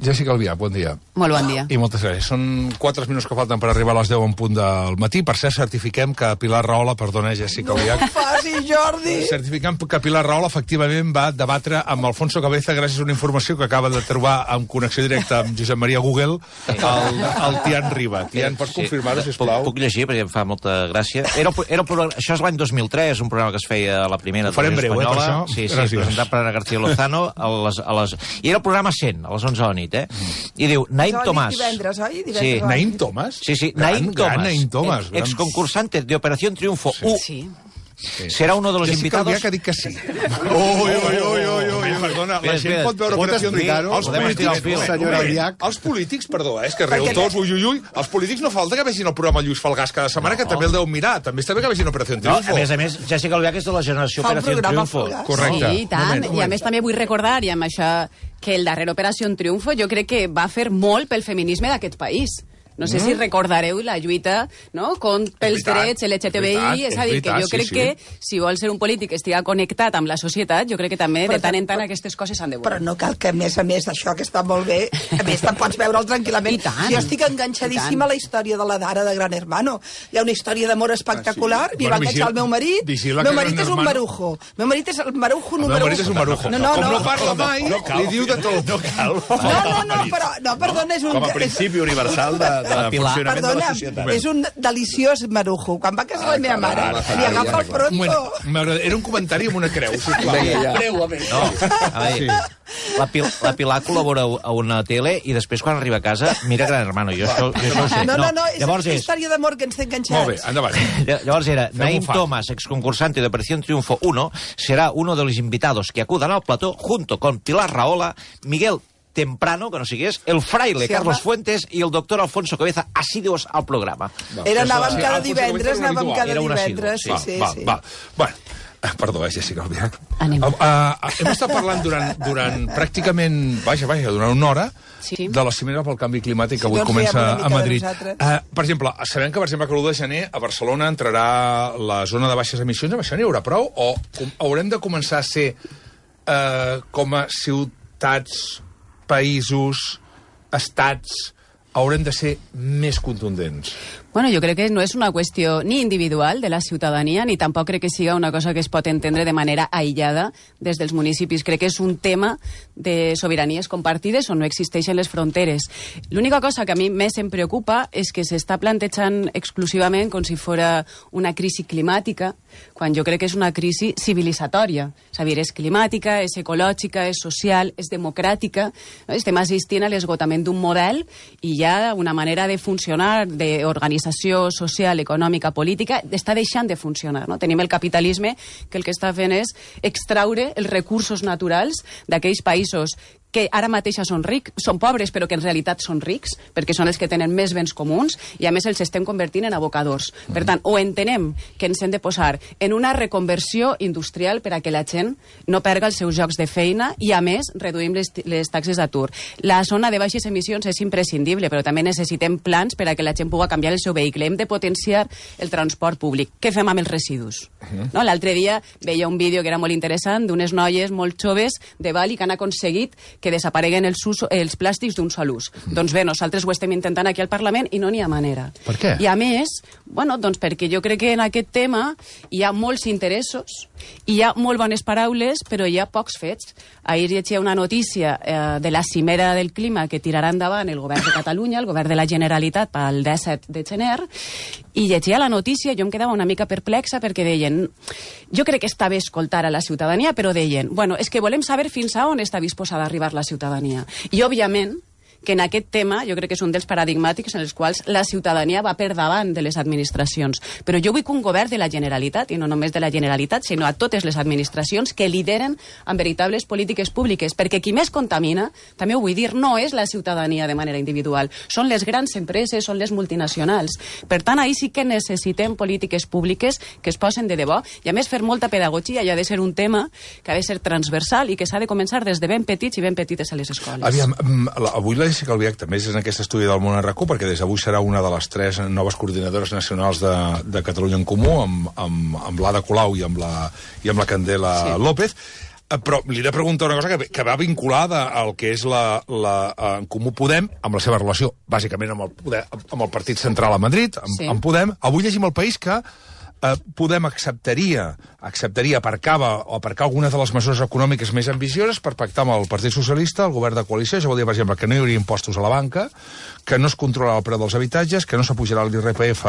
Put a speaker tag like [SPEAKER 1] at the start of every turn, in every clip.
[SPEAKER 1] Jessica Albiach, bon dia.
[SPEAKER 2] Molt bon dia.
[SPEAKER 1] I moltes gràcies. Són 4 minuts que falten per arribar a les 10 en punt del matí. Per cert, certifiquem que Pilar Rahola, perdona, Jessica Albiach...
[SPEAKER 3] No ho facis, Jordi!
[SPEAKER 1] Certificem que Pilar Rahola efectivament va debatre amb Alfonso Cabeza gràcies a una informació que acaba de trobar en connexió directa amb Josep Maria Google el Tian Riba. Tian, pots confirmar-ho, sisplau?
[SPEAKER 4] Puc llegir, perquè em fa molta gràcia. Això és l'any 2003, un programa que es feia a la primera televisió espanyola.
[SPEAKER 1] Per això.
[SPEAKER 4] Sí, presentat per Ana García Lozano. I era el programa 100, a les 11 de la nit, I diu, Naim Tomàs.
[SPEAKER 3] Divendres, oi?
[SPEAKER 1] Sí. Naim Tomàs?
[SPEAKER 4] Sí,
[SPEAKER 1] Naim Tomàs.
[SPEAKER 4] Exconcursante de Operación Triunfo 1.
[SPEAKER 2] Sí.
[SPEAKER 4] Serà uno de los
[SPEAKER 1] Jessica
[SPEAKER 4] invitados...
[SPEAKER 1] Albiach ha dit que sí. Perdona, la gent pot veure Operació Triunfo. Els polítics, perdó, és que reu tots, ui, els polítics no falta que vegin el programa Lluís Falgàs cada setmana, que també el deu mirar. També està bé que vegin Operació Triunfo.
[SPEAKER 4] A més, Jessica Albiach és de la generació Operació Triunfo.
[SPEAKER 1] Correcte.
[SPEAKER 2] Sí, i tant. I a més també vull recordar, i amb això, que el darrer Operació Triunfo jo crec que va fer molt pel feminisme d'aquest país. No sé si recordareu la lluita, no?, pels drets LGTBI. És a dir, que jo crec que si vol ser un polític que estigui connectat amb la societat, jo crec que també de tant en tant aquestes coses s'han de veure.
[SPEAKER 3] Però no cal que, a més d'això, que està molt bé, a més te'n pots veure'l tranquil·lament. Si jo estic enganxadíssima a la història de la Dara de Gran Hermano. Hi ha una història d'amor espectacular, m'hi va enganxar el meu marit. El meu marit és un marujo. El meu marit és el marujo número 1.
[SPEAKER 1] El meu marit és un marujo. Com no parla mai, li diu de tot.
[SPEAKER 4] No cal.
[SPEAKER 3] No, perdona, és un...
[SPEAKER 5] Com a principi universal de funcionament de la societat.
[SPEAKER 3] És un deliciós marujo. Quan va casar la meva mare, li agafa el pronto.
[SPEAKER 1] Era un comentari amb una creu, sisplau.
[SPEAKER 4] La Pilar col·labora a una tele i després, quan arriba a casa, mira Gran Hermano. Jo això ho sé.
[SPEAKER 3] No, és una història d'amor que ens té enganxats.
[SPEAKER 1] Molt bé, endavant.
[SPEAKER 4] Llavors era, Naim Tomàs, exconcursante de Operación Triunfo 1, será uno de los invitados que acudan al plató junto con Pilar Rahola, Miguel Temprano, que no sigués, el fraile Carlos Fuentes i el doctor Alfonso Cabeza, assidus al programa.
[SPEAKER 3] Anàvem cada divendres, sí.
[SPEAKER 1] Bueno, perdó, Jessica Albiach. Hem estat parlant durant pràcticament, durant una hora, de la cimera pel canvi climàtic que avui comença a Madrid. Per exemple, sabem que, que l'1 de gener a Barcelona entrarà la zona de baixes emissions. Amb això n'hi haurà prou? O haurem de començar a ser com a ciutats, països, estats, haurem de ser més contundents?
[SPEAKER 2] Bueno, jo crec que no és una qüestió ni individual de la ciutadania, ni tampoc crec que siga una cosa que es pot entendre de manera aïllada des dels municipis. Crec que és un tema de sobiranies compartides on no existeixen les fronteres. L'única cosa que a mi més em preocupa és que s'està plantejant exclusivament com si fos una crisi climàtica, quan jo crec que és una crisi civilitzatòria. És a dir, és climàtica, és ecològica, és social, és democràtica. No? Estem assistint a l'esgotament d'un model i hi ha una manera de funcionar, d'organitzar social, econòmica, política, està deixant de funcionar. No? Tenim el capitalisme que el que està fent és extraure els recursos naturals d'aquells països que ara mateix són pobres, però que en realitat són rics, perquè són els que tenen més béns comuns, i a més els estem convertint en abocadors. Per tant, o entenem que ens hem de posar en una reconversió industrial per a que la gent no perga els seus llocs de feina, i a més reduïm les taxes d'atur. La zona de baixes emissions és imprescindible, però també necessitem plans per a que la gent pugui canviar el seu vehicle. Hem de potenciar el transport públic. Què fem amb els residus? No? L'altre dia veia un vídeo que era molt interessant d'unes noies molt joves de Bali que han aconseguit que desapareguen els plàstics d'un sol ús. Doncs bé, nosaltres ho estem intentant aquí al Parlament i no n'hi ha manera.
[SPEAKER 1] Per què?
[SPEAKER 2] I a més, doncs perquè jo crec que en aquest tema hi ha molts interessos, hi ha molt bones paraules, però hi ha pocs fets. Ahir llegia una notícia de la cimera del clima que tirarà endavant el govern de Catalunya, el govern de la Generalitat, pel 17 de gener, i llegia la notícia i jo em quedava una mica perplexa perquè deien, jo crec que està bé escoltar a la ciutadania, però deien, és que volem saber fins a on està disposada a arribar la ciutadania. I, òbviament, que en aquest tema jo crec que és un dels paradigmàtics en els quals la ciutadania va per davant de les administracions. Però jo vull que un govern de la Generalitat, i no només de la Generalitat, sinó a totes les administracions, que lideren amb veritables polítiques públiques, perquè qui més contamina, també ho vull dir, no és la ciutadania de manera individual, són les grans empreses, són les multinacionals. Per tant, ahir sí que necessitem polítiques públiques que es posen de debò, i a més fer molta pedagogia, i ha de ser un tema que ha de ser transversal i que s'ha de començar des de ben petits i ben petites a les escoles.
[SPEAKER 1] Aviam, avui la Jessica Albiach també és en aquest estudi del Món RAC1, perquè des d'avui serà una de les 3 noves coordinadores nacionals de Catalunya en Comú, amb l'Ada Colau i amb la Candela López. Però li he de preguntar una cosa que va vinculada al que és en Comú Podem, amb la seva relació, bàsicament, amb el Partit Central a Madrid, amb Podem. Avui llegim al País que Podem acceptaria aparcar algunes de les mesures econòmiques més ambicioses per pactar amb el Partit Socialista, el govern de coalició. Això vol dir, per exemple, que no hi hauria impostos a la banca, que no es controlarà el preu dels habitatges, que no s'apujarà l'IRPF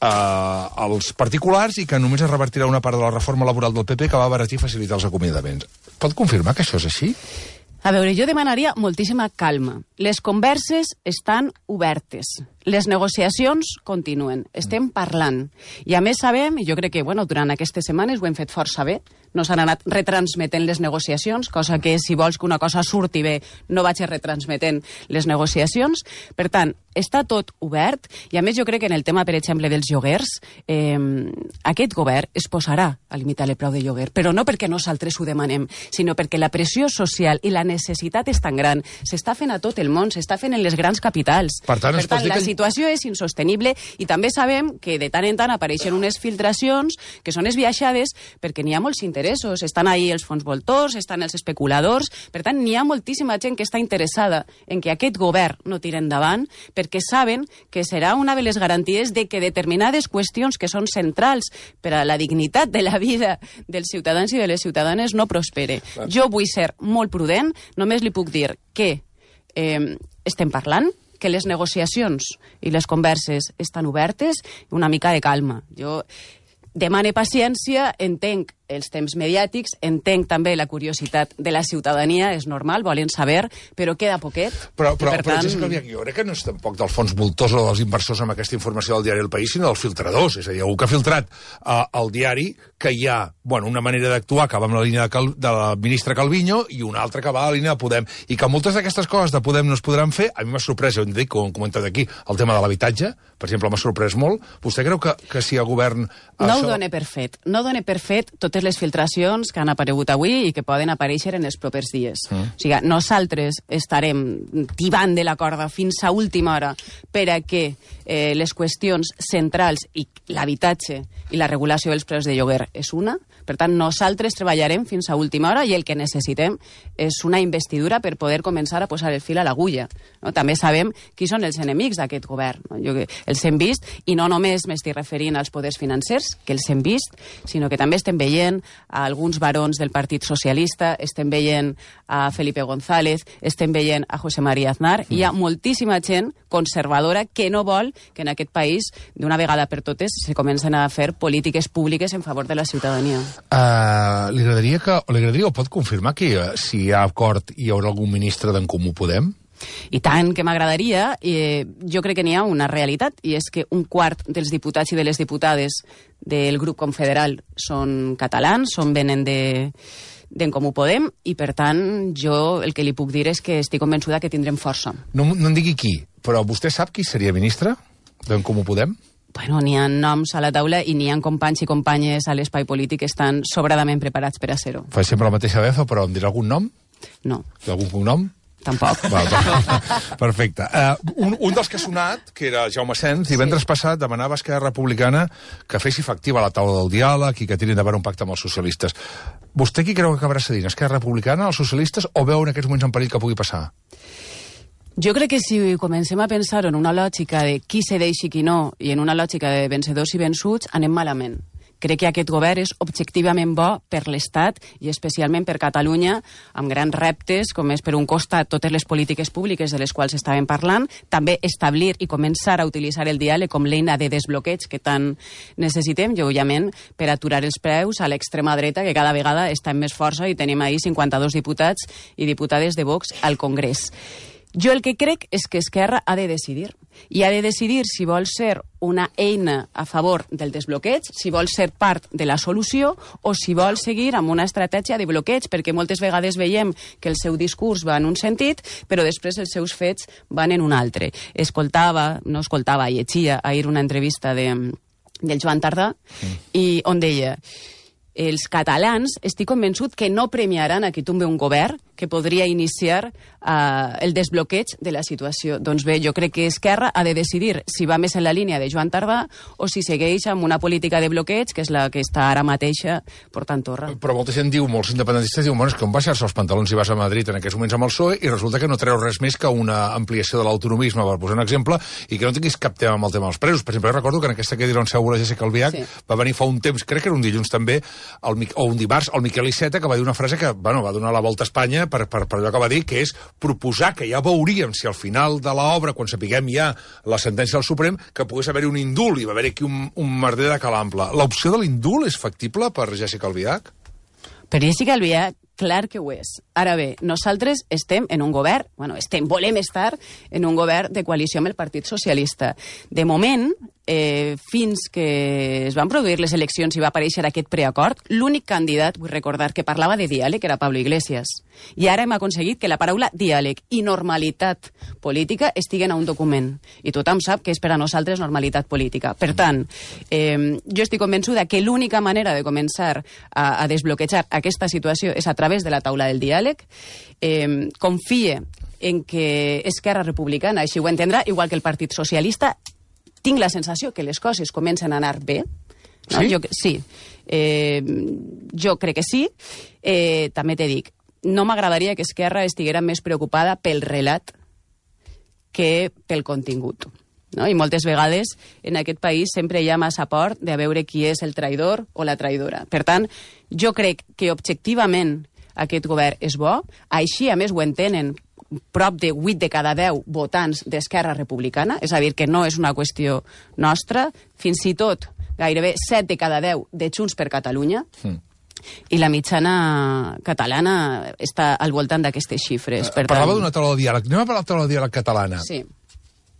[SPEAKER 1] als particulars i que només es revertirà una part de la reforma laboral del PP que va abaratir i facilitar els acomiadaments. Pot confirmar que això és així?
[SPEAKER 2] A veure, jo demanaria moltíssima calma. Les converses estan obertes. Les negociacions continuen. Estem parlant. I a més sabem, i jo crec que durant aquestes setmanes ho hem fet força bé, no s'han anat retransmetent les negociacions, cosa que si vols que una cosa surti bé no vaig retransmetent les negociacions. Per tant, està tot obert i a més jo crec que en el tema, per exemple, dels lloguers, aquest govern es posarà a limitar el preu de lloguer, però no perquè nosaltres ho demanem, sinó perquè la pressió social i la necessitat és tan gran. S'està fent a tot el món, s'està fent en les grans capitals.
[SPEAKER 1] Per tant
[SPEAKER 2] la situació és insostenible i també sabem que de tant en tant apareixen unes filtracions que són esbiaixades perquè n'hi ha molts interessos. Estan ahí els fons voltors, estan els especuladors. Per tant, n'hi ha moltíssima gent que està interessada en que aquest govern no tiri endavant perquè saben que serà una de les garanties de que determinades qüestions que són centrals per a la dignitat de la vida dels ciutadans i de les ciutadanes no prospere. Jo vull ser molt prudent, només li puc dir que estem parlant, que les negociacions i les converses estan obertes, una mica de calma. Jo demane paciència, entenc els temps mediàtics, entenc també la curiositat de la ciutadania, és normal, volen saber, però queda poquet.
[SPEAKER 1] Però jo crec que no és tampoc del fons voltors o dels inversors amb aquesta informació del diari El País, sinó dels filtradors. És a dir, algú que ha filtrat al diari que hi ha una manera d'actuar que va amb la línia de la ministra Calviño i una altra que va a la línia de Podem. I que moltes d'aquestes coses de Podem no es podran fer. A mi m'ha sorprès, ho dic, com hem comentat aquí, el tema de l'habitatge, per exemple, m'ha sorprès molt. Vostè creu que si el govern...
[SPEAKER 2] No ho dona per fet. No dona per fet totes les filtracions que han aparegut avui i que poden aparèixer en els propers dies. O sigui, nosaltres estarem tibant de la corda fins a última hora per a que les qüestions centrals i l'habitatge i la regulació dels preus de lloguer és una. Per tant, nosaltres treballarem fins a última hora i el que necessitem és una investidura per poder començar a posar el fil a l'agulla. També sabem qui són els enemics d'aquest govern. Els hem vist, i no només m'estic referint als poders financers, que els hem vist, sinó que també estem veient a alguns barons del Partit Socialista, estem veient a Felipe González, estem veient a José María Aznar, i hi ha moltíssima gent conservadora que no vol que en aquest país, d'una vegada per totes, se comencen a fer polítiques públiques en favor de la ciutadania.
[SPEAKER 1] Li agradaria o pot confirmar que si hi ha acord hi haurà algun ministre d'en Comú Podem?
[SPEAKER 2] I tant que m'agradaria. Jo crec que n'hi ha una realitat, i és que un quart dels diputats i de les diputades del grup confederal són catalans, venen d'en Comú Podem, i per tant jo el que li puc dir és que estic convençuda que tindrem força.
[SPEAKER 1] No em digui qui, però vostè sap qui seria ministre d'en Comú Podem?
[SPEAKER 2] Bueno, n'hi ha noms a la taula i n'hi ha companys i companyes a l'espai polític que estan sobradament preparats per a ser-ho.
[SPEAKER 1] Fa sempre la mateixa befa, però em dirà algun nom?
[SPEAKER 2] No.
[SPEAKER 1] Algun cognom?
[SPEAKER 2] Tampoc.
[SPEAKER 1] Perfecte. Un dels que ha sonat, que era Jaume Sens, divendres passat demanava a Esquerra Republicana que fes efectiva la taula del diàleg i que tirin endavant un pacte amb els socialistes. Vostè qui creu que acabarà cedint? Esquerra Republicana, els socialistes, o veu en aquests moments en perill que pugui passar?
[SPEAKER 2] Jo crec que si comencem a pensar en una lògica de qui cedeix i qui no, i en una lògica de vencedors i vençuts, anem malament. Crec que aquest govern és objectivament bo per l'Estat i especialment per Catalunya, amb grans reptes, com és per un costat totes les polítiques públiques de les quals estàvem parlant, també establir i començar a utilitzar el diàleg com l'eina de desbloqueig que tant necessitem, i òbviament per aturar els preus a l'extrema dreta, que cada vegada està amb més força, i tenim ahir 52 diputats i diputades de Vox al Congrés. Jo el que crec és que Esquerra ha de decidir. I ha de decidir si vol ser una eina a favor del desbloqueig, si vol ser part de la solució o si vol seguir amb una estratègia de bloqueig, perquè moltes vegades veiem que el seu discurs va en un sentit, però després els seus fets van en un altre. Llegia ahir una entrevista del Joan Tardà, i on deia: els catalans estic convençut que no premiaran a qui tombe un govern que podria iniciar el desbloqueig de la situació. Doncs bé, jo crec que Esquerra ha de decidir si va més en la línia de Joan Tardà o si segueix amb una política de bloqueig, que és la que està ara mateixa portant torra.
[SPEAKER 1] Però molta gent diu, molts independentistes diuen, bueno, és que on baixar-se els pantalons i vas a Madrid en aquests moments amb el PSOE i resulta que no treu res més que una ampliació de l'autonomisme, per posar un exemple, i que no tinguis cap tema amb el tema dels presos. Per exemple, recordo que en aquesta cadira on seu la Jéssica Albiach va venir fa un temps, crec que era un dilluns també, o un dimarts, el Miquel Iceta, que va dir una frase que, bueno, va donar la volta a Espanya per allò que va dir, que és proposar que ja veuríem si al final de l'obra, quan sapiguem ja la sentència del Suprem, que pogués haver-hi un indult, i va haver-hi aquí un merder de calample. L'opció de l'indult és factible per Jéssica Albiach?
[SPEAKER 2] Per Jéssica Albiach, clar que ho és. Ara bé, nosaltres estem en un govern, volem estar en un govern de coalició amb el Partit Socialista. De moment, fins que es van produir les eleccions i va aparèixer aquest preacord, l'únic candidat, vull recordar, que parlava de diàleg era Pablo Iglesias. I ara hem aconseguit que la paraula diàleg i normalitat política estiguen a un document. I tothom sap que és per a nosaltres normalitat política. Per tant, jo estic convençuda que l'única manera de començar a desbloquejar aquesta situació és a través de la taula del diàleg. Confie en que Esquerra Republicana així ho entendrà, igual que el Partit Socialista. Tinc la sensació que les coses comencen a anar bé. No?
[SPEAKER 1] Sí?
[SPEAKER 2] Jo crec que sí. També t'he dit, no m'agradaria que Esquerra estiguera més preocupada pel relat que pel contingut. No? I moltes vegades en aquest país sempre hi ha massa por de veure qui és el traïdor o la traïdora. Per tant, jo crec que objectivament aquest govern és bo, així a més ho entenen prop de 8 de cada 10 votants d'Esquerra Republicana, és a dir, que no és una qüestió nostra, fins i tot gairebé 7 de cada 10 de Junts per Catalunya, i la mitjana catalana està al voltant d'aquestes xifres.
[SPEAKER 1] Parlava d'una taula de diàleg. Anem a parlar de la taula de diàleg catalana.
[SPEAKER 2] Sí.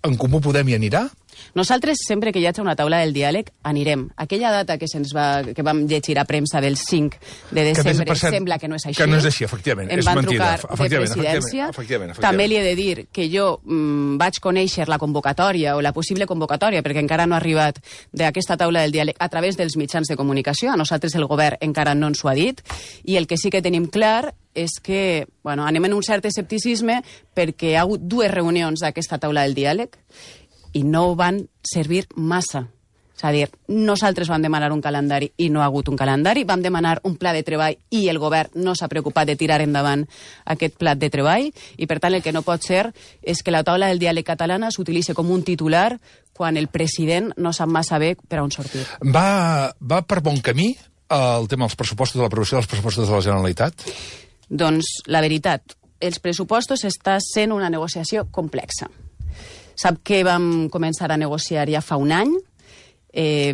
[SPEAKER 1] En Comú Podem hi anirà?
[SPEAKER 2] Nosaltres, sempre que hi hagi una taula del diàleg, anirem. Aquella data que vam llegir a premsa del 5 de desembre sembla que no és així.
[SPEAKER 1] Que no és així, efectivament.
[SPEAKER 2] Em van trucar de presidència. També li he de dir que jo vaig conèixer la convocatòria o la possible convocatòria, perquè encara no ha arribat d'aquesta taula del diàleg a través dels mitjans de comunicació. A nosaltres el govern encara no ens ho ha dit. I el que sí que tenim clar és que anem en un cert escepticisme perquè hi ha hagut 2 reunions d'aquesta taula del diàleg i no van servir massa. És a dir, nosaltres vam demanar un calendari i no ha hagut un calendari, vam demanar un pla de treball i el govern no s'ha preocupat de tirar endavant aquest pla de treball, i per tant el que no pot ser és que la taula del diàleg catalana s'utilitzi com un titular quan el president no sap massa bé per on sortir.
[SPEAKER 1] Va per bon camí el tema dels pressupostos, de l'aprovació dels pressupostos de la Generalitat?
[SPEAKER 2] Doncs la veritat, els pressupostos està sent una negociació complexa. Sap que vam començar a negociar ja fa un any,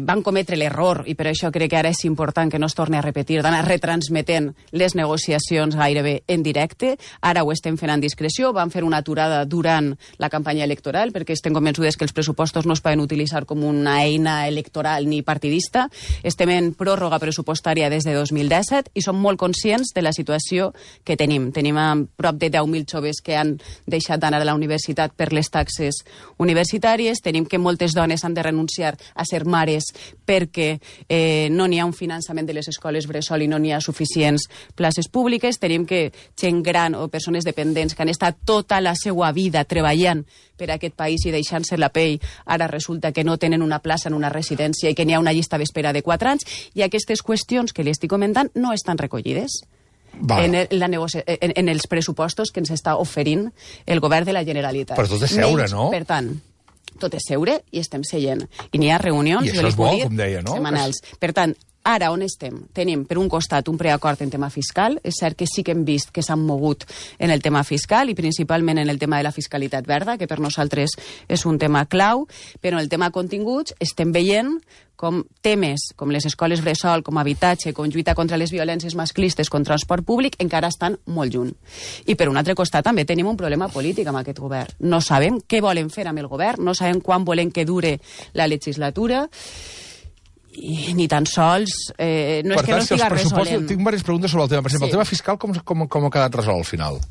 [SPEAKER 2] van cometre l'error, i per això crec que ara és important que no es torni a repetir, d'anar retransmetent les negociacions gairebé en directe. Ara ho estem fent en discreció, vam fer una aturada durant la campanya electoral, perquè estem convençudes que els pressupostos no es poden utilitzar com una eina electoral ni partidista. Estem en pròrroga pressupostària des de 2017 i som molt conscients de la situació que tenim. Tenim prop de 10.000 joves que han deixat d'anar a la universitat per les taxes universitàries, tenim que moltes dones han de renunciar a ser mares perquè no n'hi ha un finançament de les escoles bressol i no n'hi ha suficients places públiques. Tenim que gent gran o persones dependents que han estat tota la seva vida treballant per a aquest país i deixant-se la pell, ara resulta que no tenen una plaça en una residència i que n'hi ha una llista d'espera de 4 anys, i aquestes qüestions que li estic comentant no estan recollides en els pressupostos que ens està oferint el govern de la Generalitat.
[SPEAKER 1] Però tot és seure, no?
[SPEAKER 2] Per tant, tot és seure i estem seient. I n'hi ha reunions,
[SPEAKER 1] i això és bo, com deia, no?
[SPEAKER 2] Setmanals. Per tant, ara on estem? Tenim, per un costat, un preacord en tema fiscal. És cert que sí que hem vist que s'han mogut en el tema fiscal i principalment en el tema de la fiscalitat verda, que per nosaltres és un tema clau, però en el tema continguts estem veient com temes com les escoles bressol, com habitatge, com lluita contra les violències masclistes, com transport públic, encara estan molt lluny. I per un altre costat també tenim un problema polític amb aquest govern. No sabem què volen fer amb el govern, no sabem quan volen que dure la legislatura, i ni tan sols no és que no estiga resolent.
[SPEAKER 1] Tinc diverses preguntes sobre el tema. Per exemple, el tema fiscal com ha quedat resolt al final?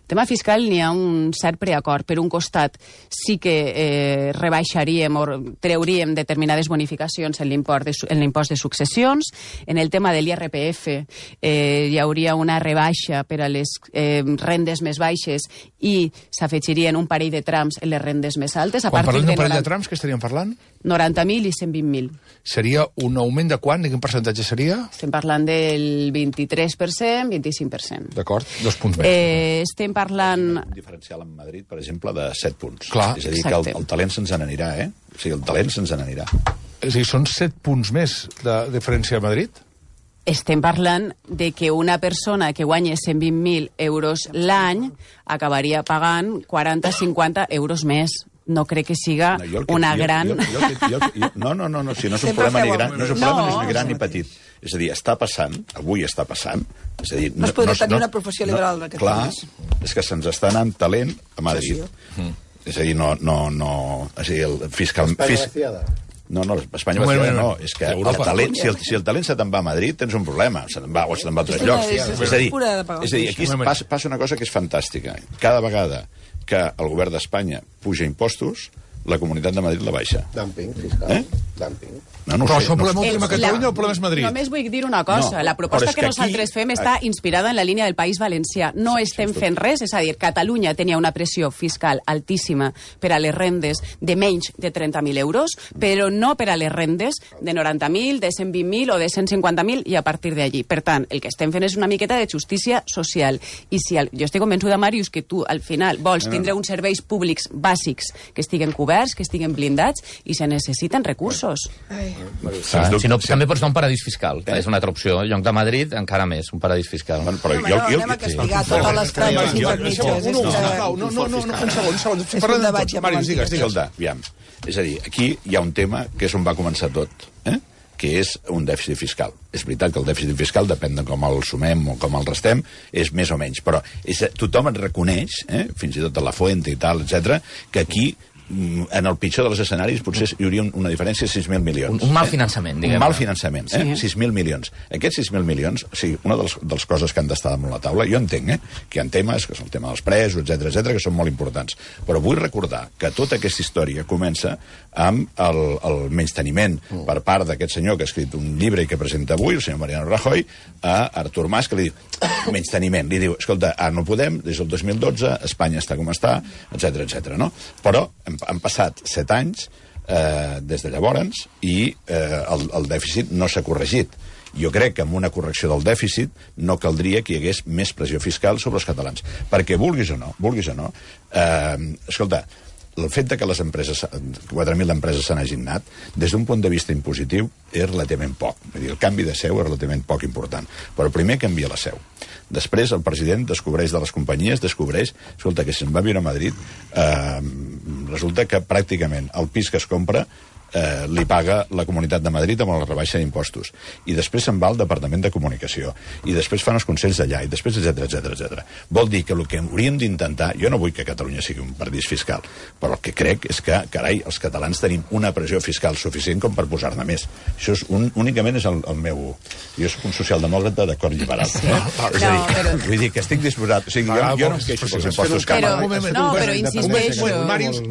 [SPEAKER 2] tema fiscal n'hi ha un cert preacord. Per un costat, sí que rebaixaríem o treuríem determinades bonificacions en l'impost de successions. En el tema de l'IRPF hi hauria una rebaixa per a les rendes més baixes i s'afegirien un parell de trams en les rendes més altes.
[SPEAKER 1] Quan parlem d'un parell de trams, què estaríem parlant?
[SPEAKER 2] 90.000 i 120.000.
[SPEAKER 1] Seria un augment de quant? De quin percentatge seria?
[SPEAKER 2] Estem parlant del 23%, 25%.
[SPEAKER 1] D'acord, 2 punts més.
[SPEAKER 2] Estem parlant...
[SPEAKER 5] Un diferencial en Madrid, per exemple, de 7 punts.
[SPEAKER 1] Clar.
[SPEAKER 5] És a dir, que el talent se'ns n'anirà, O sigui, el talent se'ns n'anirà.
[SPEAKER 1] És a dir, són 7 punts més de diferència a Madrid?
[SPEAKER 2] Estem parlant de que una persona que guanya 120.000 euros l'any acabaria pagant 40-50 euros més. No crec que siga una gran...
[SPEAKER 5] No, si no és un problema ni gran, no és un problema ni gran ni petit. És a dir, està passant, avui està passant... És a dir,
[SPEAKER 3] no es podria tenir una professió liberal d'aquest país.
[SPEAKER 5] Clar, és que se'ns està anant talent a Madrid. És a dir, no... És a dir, el fiscal... No, Espanya vaciada no. És que el talent, si el talent se te'n va a Madrid, tens un problema. Se te'n va a altres llocs. És a dir, aquí passa una cosa que és fantàstica. Cada vegada que el govern d'Espanya puja impostos, la Comunitat de Madrid la baixa.
[SPEAKER 6] Dumping fiscal. Dumping.
[SPEAKER 1] No però això el problema últim a Catalunya o el problema és Madrid?
[SPEAKER 2] Només vull dir una cosa. La proposta que nosaltres fem està inspirada en la línia del País Valencià. No estem fent res, és a dir, Catalunya tenia una pressió fiscal altíssima per a les rendes de menys de 30.000 euros, però no per a les rendes de 90.000, de 120.000 o de 150.000 i a partir d'allí. Per tant, el que estem fent és una miqueta de justícia social. I si jo estic convençuda, Màrius, que tu al final vols tindre uns serveis públics bàsics que estiguen coberts, que estiguen blindats i se necessiten recursos.
[SPEAKER 7] Si no, també pots anar a un paradís fiscal. És una altra opció. En lloc de Madrid, encara més, un paradís fiscal.
[SPEAKER 3] Però anem a castigar totes les trames intermitges.
[SPEAKER 1] No, un segon. Màrius, digues.
[SPEAKER 5] Escolta, aviam. És a dir, aquí hi ha un tema que és on va començar tot, que és un dèficit fiscal. És veritat que el dèficit fiscal, depèn de com el sumem o com el restem, és més o menys, però tothom et reconeix, fins i tot a la Fuente i tal, etc, que aquí en el pitjor dels escenaris potser hi hauria una diferència de 6.000 milions.
[SPEAKER 7] Un mal finançament, diguem.
[SPEAKER 5] Un mal finançament, 6.000 milions. Aquests 6.000 milions, o sigui, una de les coses que han d'estar damunt la taula, jo entenc, que hi ha temes, que és el tema dels presos, etc, que són molt importants. Però vull recordar que tota aquesta història comença amb el menysteniment per part d'aquest senyor que ha escrit un llibre i que presenta avui, el senyor Mariano Rajoy, a Artur Mas, que li diu, menysteniment, li diu, escolta, no podem, des del 2012, Espanya està com està, etc, no? Però han passat 7 anys des de llavors i el dèficit no s'ha corregit. Jo crec que amb una correcció del dèficit no caldria que hi hagués més pressió fiscal sobre els catalans. Perquè vulguis o no, escolta, el fet que les empreses, 4.000 empreses s'han hagin anat, des d'un punt de vista impositiu, és relativament poc. Vull dir, el canvi de seu és relativament poc important. Però primer canvia la seu. Després el president descobreix de les companyies, escolta, que si se'n va viure a Madrid, resulta que pràcticament el pis que es compra li paga la Comunitat de Madrid amb la rebaixa d'impostos. I després se'n va al Departament de Comunicació. I després fan els consells d'allà. I després, etc. Vol dir que el que hauríem d'intentar... Jo no vull que Catalunya sigui un paradís fiscal, però el que crec és que, carai, els catalans tenim una pressió fiscal suficient com per posar-ne més. Això únicament és el meu... Jo soc un socialdemòcrata d'acord liberal. Vull dir que estic disposat... O sigui, jo no em queixo pels impostos que...
[SPEAKER 2] Però insisteixo...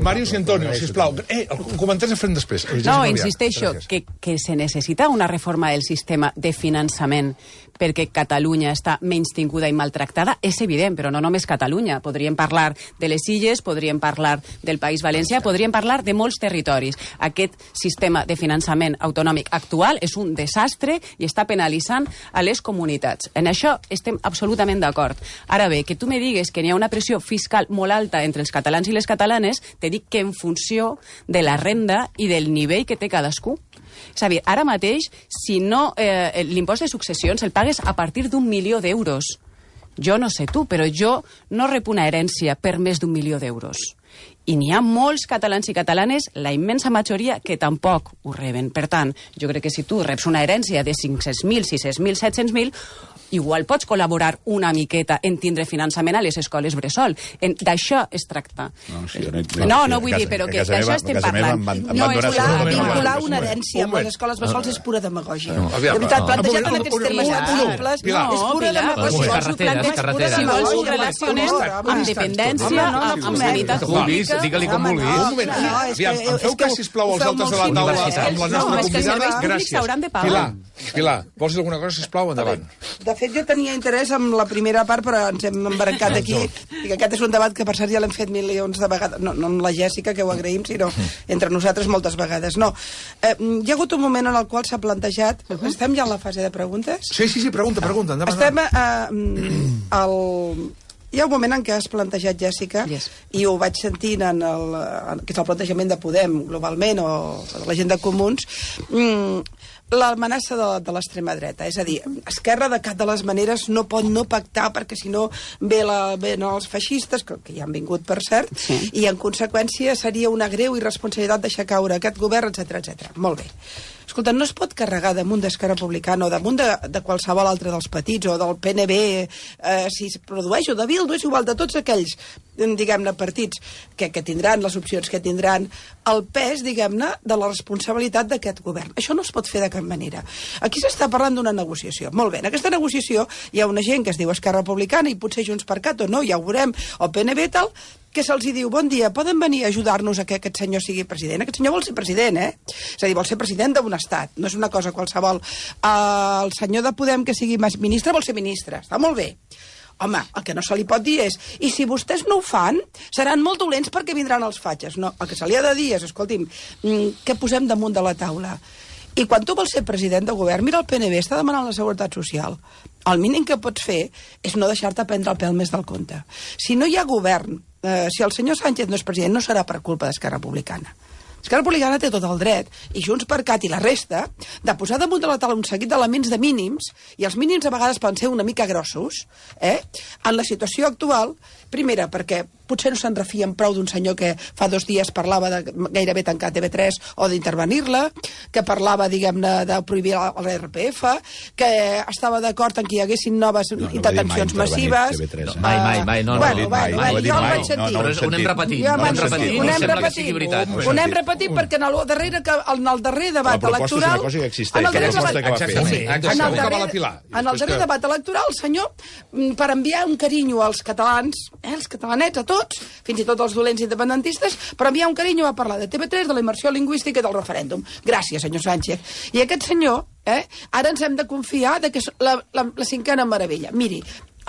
[SPEAKER 1] Màrius i Antonio, sisplau. El comentari el farem després.
[SPEAKER 2] No, insisteixo, que se necessita una reforma del sistema de finançament perquè Catalunya està menystinguda i maltractada, és evident, però no només Catalunya. Podríem parlar de les Illes, podríem parlar del País Valencià, podríem parlar de molts territoris. Aquest sistema de finançament autonòmic actual és un desastre i està penalitzant a les comunitats. En això estem absolutament d'acord. Ara bé, que tu me digues que n'hi ha una pressió fiscal molt alta entre els catalans i les catalanes, te dic que en funció de la renda i del nivell que té cadascú. És a dir, ara mateix, si no, l'impost de successions el pagues a partir d'1 milió d'euros. Jo no sé tu, però jo no rep una herència per més d'1 milió d'euros. I n'hi ha molts catalans i catalanes, la immensa majoria, que tampoc ho reben. Per tant, jo crec que si tu reps una herència de 500.000, 600.000, 700.000, igual pots col·laborar una miqueta en tindre finançament a les escoles bressol. D'això es tracta. No, vull dir, però que d'això estem parlant.
[SPEAKER 3] No, vincular una herència amb les escoles bressol és pura demagògia. De veritat, plantejat en aquests termes simples, és pura demagògia.
[SPEAKER 2] Si vols ho relacionem amb dependència, amb sanitat pública...
[SPEAKER 7] Digue-li com vulguis.
[SPEAKER 1] Em feu cas, sisplau, als altres de la taula amb la nostra convidada? Gràcies. Pilar, vols dir alguna cosa, sisplau? Endavant.
[SPEAKER 3] De fet, jo tenia interès en la primera part, però ens hem embarcat aquí. I que aquest és un debat que, per cert, ja l'hem fet milions de vegades. No amb la Jèssica, que ho agraïm, sinó entre nosaltres moltes vegades. No. Hi ha hagut un moment en el qual s'ha plantejat... Estem ja en la fase de preguntes?
[SPEAKER 1] Sí, pregunta. Endavant.
[SPEAKER 3] Estem hi ha un moment en què has plantejat, Jèssica, i ho vaig sentint que és el plantejament de Podem, globalment, o de la gent de Comuns, l'amenaça de l'extrema dreta. És a dir, Esquerra de cap de les maneres no pot no pactar perquè si no venen els feixistes, que ja han vingut, per cert, i en conseqüència seria una greu irresponsabilitat deixar caure aquest govern, etc. Molt bé. Escolta, no es pot carregar damunt d'Esquerra Republicana o damunt de qualsevol altre dels petits o del PNB, si es produeix, o de Bildu, és igual, de tots aquells, diguem-ne, partits que tindran les opcions que tindran, el pes, diguem-ne, de la responsabilitat d'aquest govern. Això no es pot fer de cap manera. Aquí s'està parlant d'una negociació. Molt bé, en aquesta negociació hi ha una gent que es diu Esquerra Republicana i potser Junts per Cat o no, ja ho veurem, o PNB tal, que se'ls diu, bon dia, poden venir a ajudar-nos a que aquest senyor sigui president? Aquest senyor vol ser president, És a dir, vol ser president d'un estat, no és una cosa qualsevol. El senyor de Podem que sigui ministre vol ser ministre, està molt bé. Home, el que no se li pot dir és, i si vostès no ho fan, seran molt dolents perquè vindran els fatxes. No, el que se li ha de dir és, escolti'm, què posem damunt de la taula? I quan tu vols ser president de govern, mira, el PNB està demanant la Seguretat Social. El mínim que pots fer és no deixar-te prendre el pèl més del compte. Si no hi ha govern, si el senyor Sánchez no és president, no serà per culpa d'Esquerra Republicana. Esquerra Republicana té tot el dret, i Junts per Cat i la resta, de posar damunt de la taula un seguit d'elements de mínims, i els mínims a vegades poden ser una mica grossos, en la situació actual, primera, perquè potser no se'n refien prou d'un senyor que fa 2 dies parlava de gairebé tancar TV3 o d'intervenir-la, que parlava, diguem-ne, de prohibir l'RPF, que estava d'acord en que hi haguessin noves intervencions massives.
[SPEAKER 7] Mai. No ho he dit mai.
[SPEAKER 3] Jo el vaig sentir.
[SPEAKER 7] Ho anem repetit.
[SPEAKER 3] Ho anem repetit perquè en el darrer debat electoral... En el darrer debat electoral, el senyor, per enviar un carinyo als catalans, els catalanets, a tots, fins i tot els dolents independentistes, per enviar un carinyo va parlar de TV3, de la immersió lingüística i del referèndum. Gràcies, senyor Sánchez. I aquest senyor, ara ens hem de confiar que és la 5a meravella. Miri,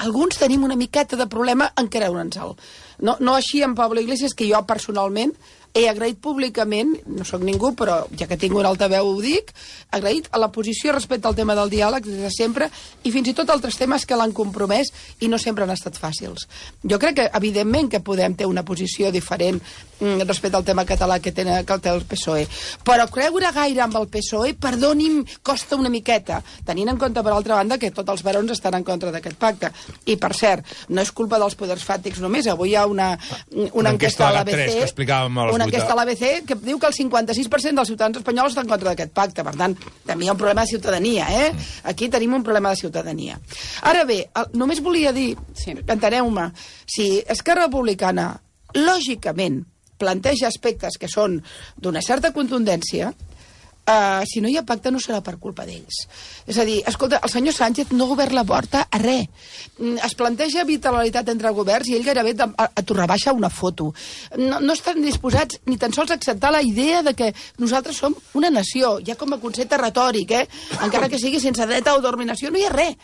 [SPEAKER 3] alguns tenim una miqueta de problema en creure'ns-el. No així en Pablo Iglesias, que jo personalment he agraït públicament, no sóc ningú, però ja que tinc un altaveu ho dic, agraït a la posició respecte al tema del diàleg des de sempre, i fins i tot altres temes que l'han compromès i no sempre han estat fàcils. Jo crec que, evidentment, que Podem té una posició diferent respecte al tema català que té el PSOE. Però creure gaire amb el PSOE, perdoni'm, costa una miqueta, tenint en compte, per altra banda, que tots els barons estan en contra d'aquest pacte. I, per cert, no és culpa dels poders fàctics només. Avui hi ha una enquesta a l'ABC, enquesta a l'ABC que diu que el 56% dels ciutadans espanyols estan en contra d'aquest pacte. Per tant, també hi ha un problema de ciutadania, Aquí tenim un problema de ciutadania. Ara bé, només volia dir, enteneu-me, si Esquerra Republicana, lògicament, planteja aspectes que són d'una certa contundència, si no hi ha pacte no serà per culpa d'ells. És a dir, escolta, el senyor Sánchez no ha obert la porta a res. Es planteja bilateralitat entre governs i ell gairebé t'ho rebaixa una foto. No estan disposats ni tan sols a acceptar la idea de que nosaltres som una nació, ja com a concepte retòric, encara que sigui sense dret a autodeterminació, no hi ha res.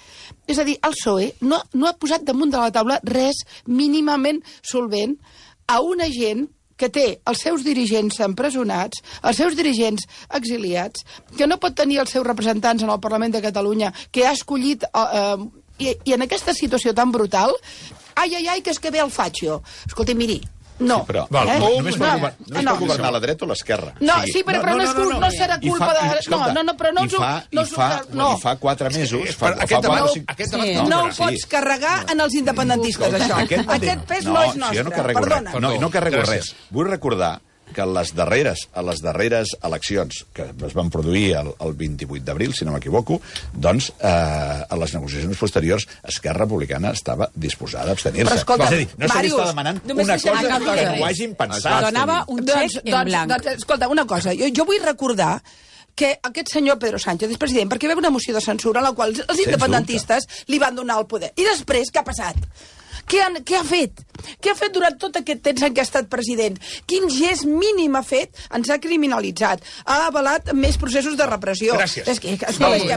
[SPEAKER 3] És a dir, el PSOE no ha posat damunt de la taula res mínimament solvent a una gent que té els seus dirigents empresonats, els seus dirigents exiliats, que no pot tenir els seus representants en el Parlament de Catalunya, que ha escollit... I en aquesta situació tan brutal, ai, que és que ve el fatxo. Escolta, miri, no.
[SPEAKER 5] Sí, però només pot governar la dreta o l'esquerra.
[SPEAKER 3] No, sí, però no serà culpa de...
[SPEAKER 5] I fa 4 mesos...
[SPEAKER 3] No ho pots carregar en els independentistes, això. Aquest pes no és nostre.
[SPEAKER 5] Jo no carrego res. No carrego res. Vull recordar que a les darreres eleccions, que es van produir el 28 d'abril, si no m'equivoco, doncs a les negociacions posteriors Esquerra Republicana estava disposada a abstenir-se.
[SPEAKER 3] Però escolta,
[SPEAKER 5] és a dir, no se li està demanant una cosa que no ho hagin pensat.
[SPEAKER 2] Donava un xec en blanc.
[SPEAKER 3] Doncs, escolta, una cosa, jo vull recordar que aquest senyor Pedro Sánchez és president perquè va haver una moció de censura en la qual els independentistes li van donar el poder. I després, què ha passat? Què ha fet? Què ha fet durant tot aquest temps en què ha estat president? Quin gest mínim ha fet? Ens ha criminalitzat. Ha avalat més processos de repressió.
[SPEAKER 1] Gràcies.
[SPEAKER 3] És que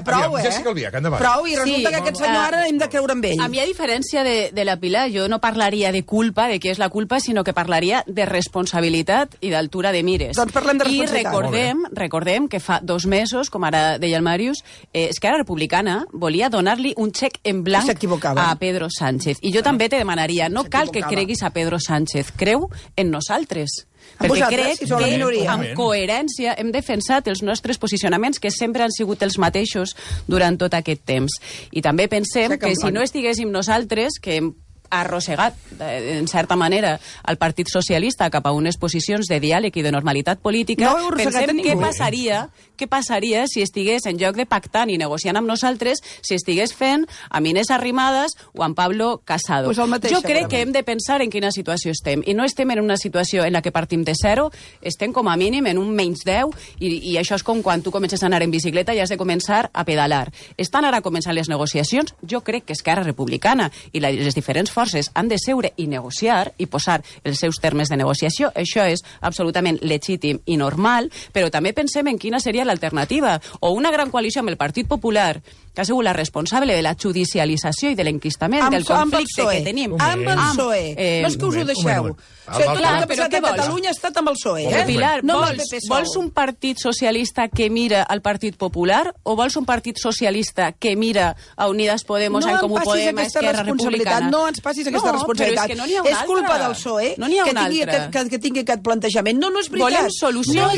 [SPEAKER 3] prou,
[SPEAKER 1] Jessica Albiach, endavant.
[SPEAKER 3] Prou, i resulta que aquest senyor ara hem de creure en ell.
[SPEAKER 2] A mi, a diferència de la Pilar, jo no parlaria de culpa, de què és la culpa, sinó que parlaria de responsabilitat i d'altura de mires.
[SPEAKER 3] Doncs parlem de responsabilitat.
[SPEAKER 2] I recordem que fa 2 mesos, com ara deia el Màrius, Esquerra Republicana volia donar-li un xec en blanc a Pedro Sánchez. I jo també te demanaria, no cal que creguis a Pedro Sánchez, creu en nosaltres. Perquè crec que amb coherència hem defensat els nostres posicionaments, que sempre han sigut els mateixos durant tot aquest temps. I també pensem que si no estiguéssim nosaltres, que hem arrossegat, en certa manera, el Partit Socialista cap a unes posicions de diàleg i de normalitat política, pensem què passaria si estigués, en lloc de pactant i negociant amb nosaltres, si estigués fent amb Inés Arrimadas o amb Pablo Casado. Jo crec que hem de pensar en quina situació estem, i no estem en una situació en la que partim de zero, estem com a mínim en un menys 10, i això és com quan tu comences a anar en bicicleta i has de començar a pedalar. Estan ara començant les negociacions, jo crec que Esquerra Republicana i les diferents forces han de seure i negociar i posar els seus termes de negociació. Això és absolutament legítim i normal, però també pensem en quina seria l'alternativa. O una gran coalició amb el Partit Popular, que ha sigut la responsable de la judicialització i de l'enquistament del conflicte que tenim.
[SPEAKER 3] Amb el PSOE. No és que us ho deixeu. Tot el que ha passat a Catalunya ha estat amb el PSOE.
[SPEAKER 2] Pilar, vols un partit socialista que mira al Partit Popular o vols un partit socialista que mira a Unidas Podemos, en Comú Podem, a Esquerra Republicana?
[SPEAKER 3] No ens passis aquesta responsabilitat. És culpa del PSOE que tingui aquest plantejament. No és veritat.
[SPEAKER 2] Volem solució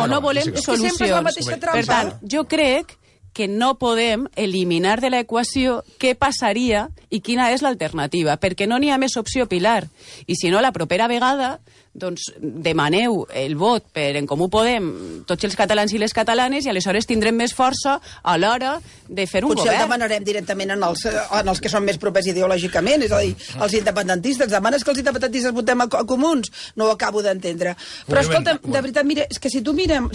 [SPEAKER 2] o no volem solucions? Per tant, jo crec que no podem eliminar de l'equació què passaria i quina és l'alternativa, perquè no n'hi ha més opció, Pilar. I si no, la propera vegada doncs demaneu el vot per En Comú Podem tots els catalans i les catalanes i aleshores tindrem més força a l'hora de fer un govern.
[SPEAKER 3] Potser el demanarem directament en els que són més propers ideològicament, és a dir, els independentistes. Demanes que els independentistes votem a comuns? No ho acabo d'entendre. Però escolta, de veritat, mira, és que si mirem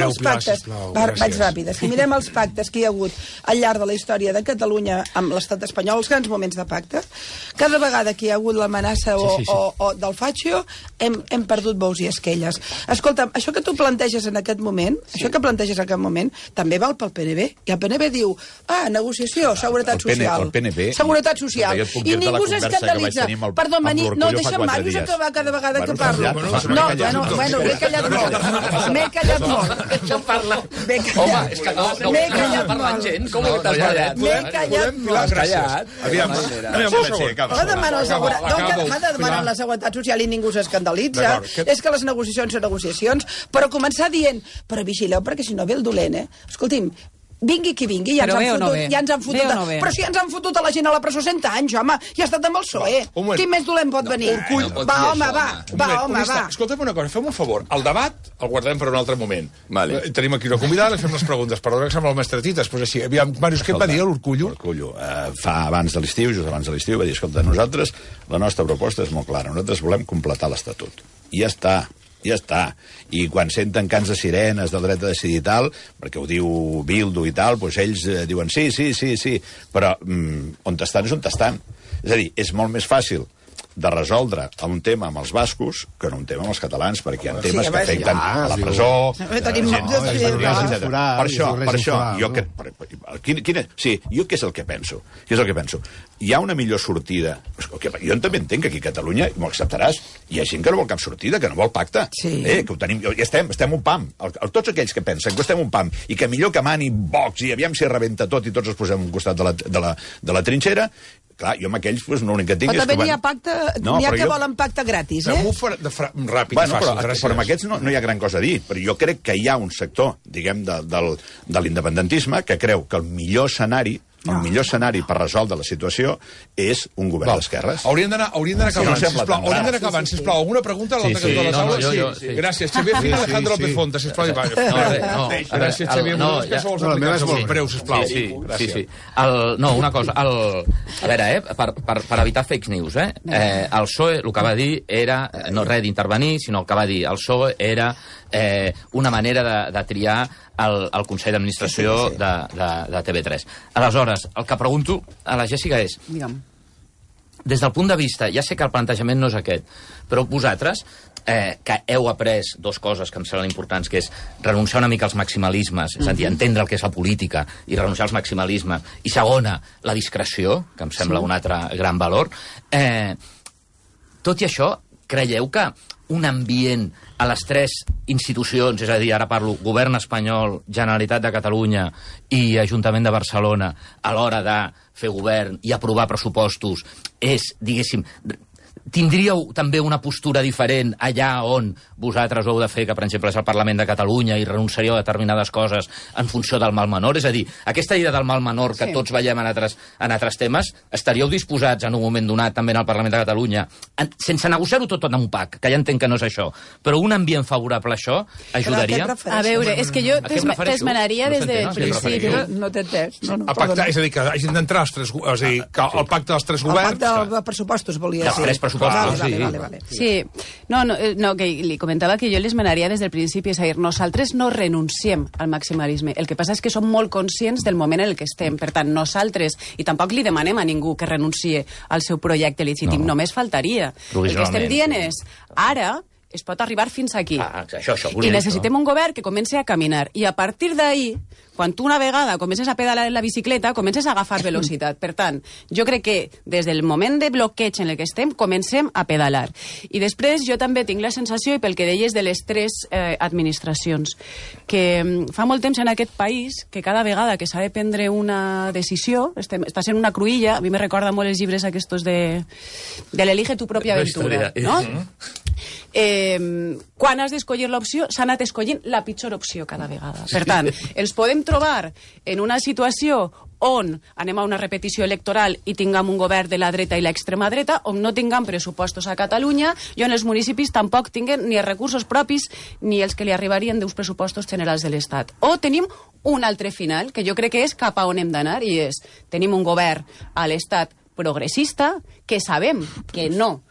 [SPEAKER 3] els pactes... Vaig ràpida. Si mirem els pactes que hi ha hagut al llarg de la història de Catalunya amb l'estat espanyol, els grans moments de pacte, cada vegada que hi ha hagut l'amenaça o del Fatxio, hem perdut bous i esquelles. Escolta, això que tu planteges en aquest moment, també val pel PNB. I el PNB diu, negociació, seguretat social. Seguretat social. I ningú s'escandalitza. Perdó, no, deixa'm Màrius acabar cada vegada que parlo. No, bueno, m'he callat molt. M'he callat molt.
[SPEAKER 7] Home, és que no està parlant gens. Com que t'has callat?
[SPEAKER 3] M'he callat molt.
[SPEAKER 1] Aviam,
[SPEAKER 3] m'ha de demanar la seguretat social i ningú s'escandalitza. És que les negociacions són negociacions, però començar dient, però vigileu perquè si no ve el dolent, Escolti'm, vingui qui vingui, ja ens han fotut. Però si ja ens han fotut a la gent a la presó 100 anys, home, ja ha estat amb el PSOE. Quin més dolent pot venir? Va, home.
[SPEAKER 1] Escolta'm una cosa, fem un favor. El debat el guardem per un altre moment. Tenim aquí una convidada, li fem les preguntes. Perdó que sembla el mestre Tites, però així. Aviam, Màrius, què va dir l'Urkullu?
[SPEAKER 5] L'Urkullu, fa abans de l'estiu, just abans de l'estiu, va dir, escolta, nosaltres, la nostra proposta és molt clara. Nosaltres volem completar l'Estatut. I ja està. I quan senten cants de sirenes del dret a decidir i tal, perquè ho diu Bildu i tal, doncs ells diuen sí, però on estan és on estan. És a dir, és molt més fàcil de resoldre un tema amb els bascos que no un tema amb els catalans, perquè hi ha temes que afecten a la presó... Per això, jo què és el que penso? Hi ha una millor sortida. Jo també entenc que aquí a Catalunya, m'ho acceptaràs, hi ha gent que no vol cap sortida, que no vol pacte. Que ho tenim, ja estem un pam. Tots aquells que pensen que estem un pam i que millor que mani Vox i aviam si rebenta tot i tots ens posem a un costat de la trinxera. Clar, jo amb aquells l'únic que tinc és que...
[SPEAKER 3] Però també n'hi ha pacte, n'hi ha que volen pacte gratis,
[SPEAKER 1] Ràpid i fàcil, gràcies.
[SPEAKER 5] Però amb aquests no hi ha gran cosa a dir, però jo crec que hi ha un sector, diguem, de l'independentisme que creu que el millor escenari El millor escenari per resoldre la situació és un govern d'esquerres.
[SPEAKER 1] Hauríem d'anar acabant, sisplau. Hauríem d'anar acabant, sisplau. Alguna pregunta a l'altre cantó de la taula? Sí. Gràcies, Xavier Fina, Alejandro López Fonta, sisplau. Gràcies, Xavier. La meva és molt breu, sisplau.
[SPEAKER 7] Sí. No, una cosa. A veure, per evitar fake news, el PSOE el que va dir era, no res d'intervenir, sinó el que va dir el PSOE era una manera de triar el Consell d'Administració de TV3. Aleshores, el que pregunto a la Jèssica és, des del punt de vista, ja sé que el plantejament no és aquest, però vosaltres, que heu après dues coses que em semblen importants, que és renunciar una mica als maximalismes, és a dir, entendre el que és la política i renunciar als maximalismes, i segona, la discreció, que em sembla un altre gran valor, tot i això, creieu que un ambient a les tres institucions, és a dir, ara parlo Govern espanyol, Generalitat de Catalunya i Ajuntament de Barcelona, a l'hora de fer govern i aprovar pressupostos, és, diguéssim, tindríeu també una postura diferent allà on vosaltres ho heu de fer, que per exemple és el Parlament de Catalunya, i renunciaríeu a determinades coses en funció del mal menor? És a dir, aquesta idea del mal menor que tots veiem en altres temes, estaríeu disposats en un moment donat també en el Parlament de Catalunya, sense negociar-ho tot en un pack, que ja entenc que no és això, però un ambient favorable a això ajudaria?
[SPEAKER 2] A veure, és que jo t'esmenaria des del principi.
[SPEAKER 3] No t'he entès.
[SPEAKER 1] A pactar, és a dir, que hagin d'entrar els tres, és a dir, el pacte dels tres governs...
[SPEAKER 3] El pacte de pressupostos, volia dir.
[SPEAKER 7] Els tres pressupostos,
[SPEAKER 3] vale.
[SPEAKER 2] Sí, no, que li comentava que jo l'esmenaria des del principi, és a dir, nosaltres no renunciem al maximalisme, el que passa és que som molt conscients del moment en el que estem, per tant, nosaltres, i tampoc li demanem a ningú que renuncie al seu projecte legítim, només faltaria. El que estem dient és, ara es pot arribar fins aquí. I necessitem un govern que comenci a caminar. I a partir d'ahir, quan tu una vegada comences a pedalar en la bicicleta, comences a agafar velocitat. Per tant, jo crec que des del moment de bloqueig en el que estem, comencem a pedalar. I després jo també tinc la sensació, i pel que deies de les tres administracions, que fa molt temps en aquest país que cada vegada que s'ha de prendre una decisió, està sent una cruïlla, a mi me recorda molt els llibres aquestos de l'Elige tu pròpia aventura, no? Quan has d'escollir l'opció, s'ha anat escollint la pitjor opció cada vegada. Per tant, ens podem trobar en una situació on anem a una repetició electoral i tinguem un govern de la dreta i l'extrema dreta, on no tinguem pressupostos a Catalunya i on els municipis tampoc tinguen ni els recursos propis ni els que li arribarien d'uns pressupostos generals de l'Estat. O tenim un altre final, que jo crec que és cap a on hem d'anar, i és, tenim un govern a l'Estat progressista, que sabem que no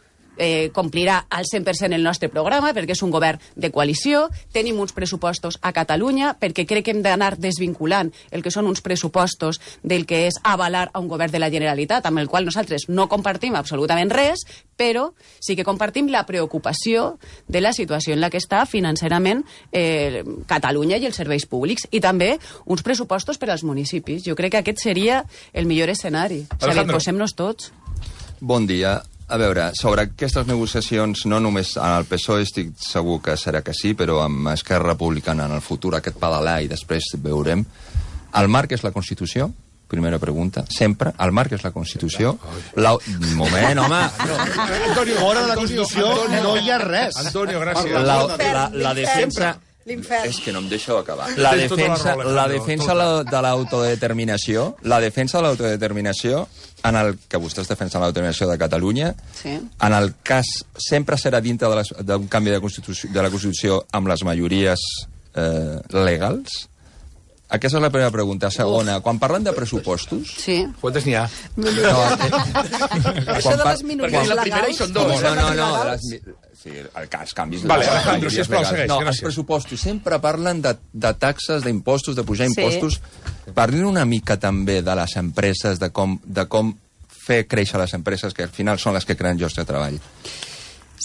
[SPEAKER 2] complirà al 100% el nostre programa, perquè és un govern de coalició, tenim uns pressupostos a Catalunya, perquè crec que hem d'anar desvinculant el que són uns pressupostos del que és avalar a un govern de la Generalitat, amb el qual nosaltres no compartim absolutament res, però sí que compartim la preocupació de la situació en la que està financerament Catalunya i els serveis públics, i també uns pressupostos per als municipis. Jo crec que aquest seria el millor escenari. És a dir, posem-nos tots.
[SPEAKER 8] Bon dia. A veure, sobre aquestes negociacions, no només en el PSOE estic segur que serà que sí, però amb Esquerra Republicana en el futur aquest pedalar i després veurem. El marc és la Constitució? Primera pregunta. Sempre. El marc és la Constitució? Un moment, home.
[SPEAKER 9] Fora de la Constitució no hi ha res.
[SPEAKER 1] Antonio, gràcies.
[SPEAKER 8] La defensa... És que no em deixo acabar. La defensa de l'autodeterminació, en el que vostès defensen l'autodeterminació de Catalunya, en el cas sempre serà dintre d'un canvi de la Constitució amb les majories legals? Aquesta és la primera pregunta. Segona, quan parlen de pressupostos...
[SPEAKER 2] Sí.
[SPEAKER 1] Quantes n'hi ha?
[SPEAKER 3] Això de les minories legals...
[SPEAKER 1] La primera hi són dos.
[SPEAKER 8] No. Sí, els canvis...
[SPEAKER 1] Vale, Alejandro, sisplau, segueix.
[SPEAKER 8] No, els pressupostos sempre parlen de taxes, d'impostos, de pujar impostos. Parlin una mica també de les empreses, de com fer créixer les empreses, que al final són les que creen llocs de treball.